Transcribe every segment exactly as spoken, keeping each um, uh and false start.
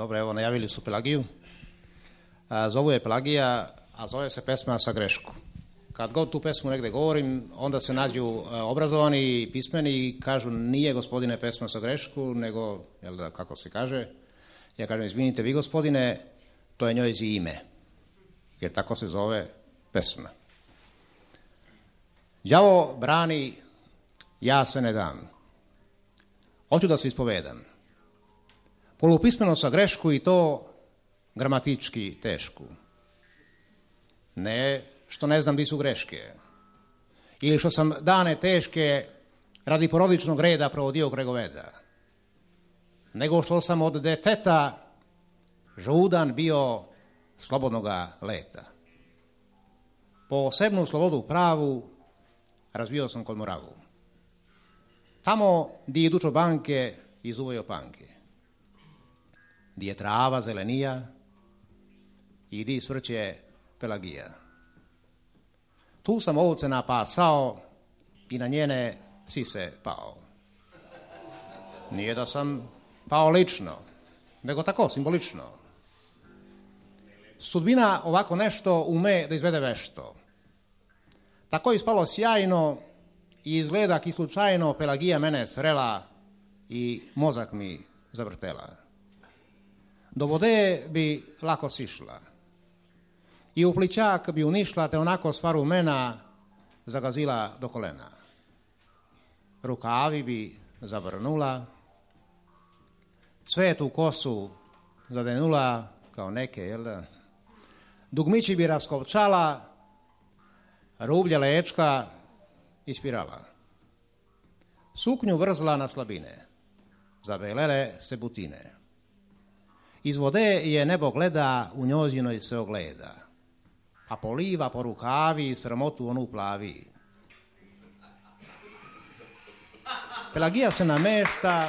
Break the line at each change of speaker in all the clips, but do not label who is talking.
Dobro, evo, najavili su Pelagiju. A, zovu je Pelagija, a zove se pesma Sa grešku. Kad god tu pesmu negde govorim, onda se nađu a, obrazovani i pismeni i kažu nije gospodine pesma sa grešku, nego, jel da, kako se kaže, ja kažem, izvinite vi gospodine, to je njoj ime, jer tako se zove pesma. Đavo brani, ja se ne dam. Hoću da se ispovedam. Polupismeno sa grešku i to gramatički tešku. Ne što ne znam di su greške. Ili što sam dane teške radi porodičnog reda provodio kregoveda. Nego što sam od deteta žudan bio slobodnoga leta. Posebnu slobodu pravu razvio sam kod Moravu. Tamo di idu čobanke i zuvaju panke. Di je trava zelenija i di svrće Pelagija. Tu sam ovce napasao i na njene sise pao. Nije da sam pao lično, nego tako, simbolično. Sudbina ovako nešto ume da izvede vešto. Tako je ispalo sjajno i izgleda ki slučajno Pelagija mene srela i mozak mi zavrtela. Do vode bi lako sišla i u plićak bi unišla, te onako sva rumena zagazila do kolena. Rukavi bi zavrnula, cvetu kosu zadenula kao neke, jel da? Dugmići bi raskopčala, rublja lečka ispirala. Suknju vrzla na slabine, zabelele se butine. Iz vode je nebo gleda, u njozinoj se ogleda, a poliva po rukavi sramotu onu plavi. Pelagija se namešta,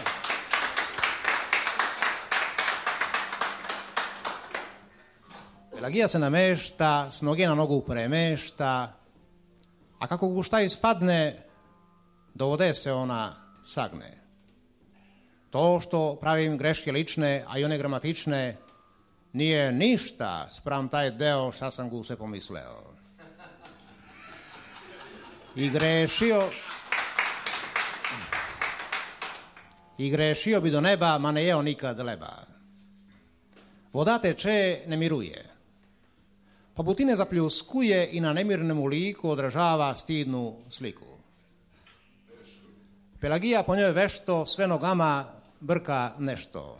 Pelagija se namešta, s noge na nogu premešta, a kako gu šta ispadne, do vode se ona sagne. To što pravim greške lične, a i one gramatične, nije ništa spram taj deo šta sam gu se pomisleo. I grešio, i grešio bi do neba, ma ne jeo nikad leba. Voda teče, ne miruje. Pa butine zapljuskuje i na nemirnemu liku odražava stidnu sliku. Pelagija po njoj vešto sve nogama brka nešto.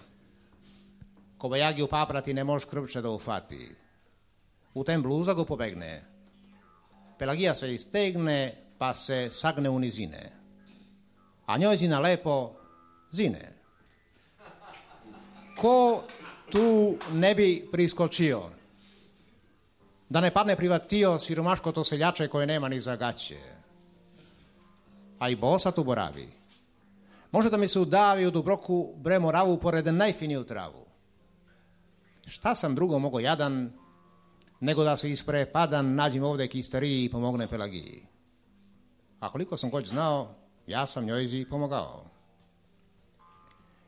Ko bajagi u paprati ne može krvče da ufati. U tem bluza go pobegne. Pelagija se istegne pa se sagne u nizine. A njoj zina lepo zine. Ko tu ne bi priskočio? Da ne padne privatio siromaško to seljače koje nema ni za gaće. A i bosa tu boravi. Može da mi se udavi u Dubroku bre Moravu pored najfiniju travu. Šta sam drugo mogo jadan, nego da se isprepadan nađim ovde kistariji i pomogne Pelagiji. A koliko sam god znao, ja sam njoj pomogao.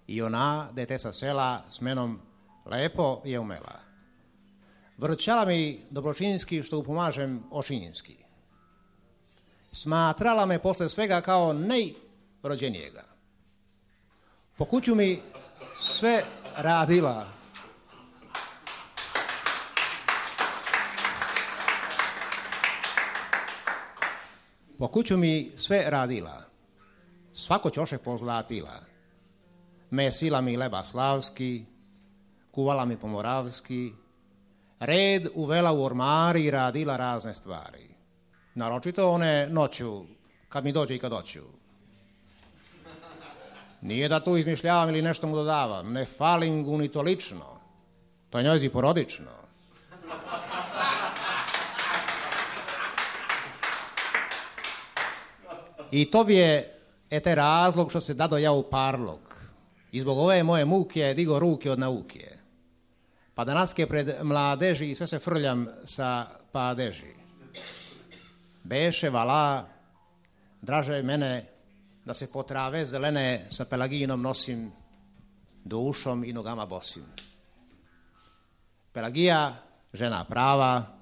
I ona, dete sa sela, s menom lepo je umela. Vrćala mi dobročinski što upomažem očinjinski. Smatrala me posle svega kao najrođenijega. Po kuću mi sve radila. Po kuću mi sve radila. Svako ćoše pozlatila. Mesila mi leba slavski, kuvala mi pomoravski, red uvela u ormari i radila razne stvari. Naročito one noću, kad mi dođe i kad hoću. Nije da tu izmišljavam ili nešto mu dodavam, ne falim gu ni to lično. To je njoj porodično. I to bi je ete razlog što se dado ja u parlog. I zbog ove moje muke digo ruke od nauke. Pa danaske pred mladeži i sve se frljam sa padeži. Beše vala, draže mene da se po trave zelene sa Pelagijinom nosim, dušom i nogama bosim. Pelagija, žena prava,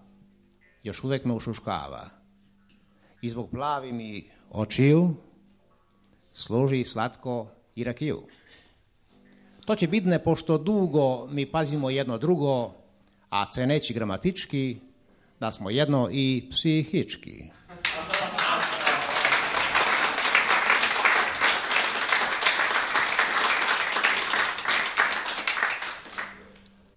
još uvijek me ušuškava. I zbog plavi mi očiju služi slatko i rakiju. To će bitne, pošto dugo mi pazimo jedno drugo, a ceneći gramatički, da smo jedno i psihički.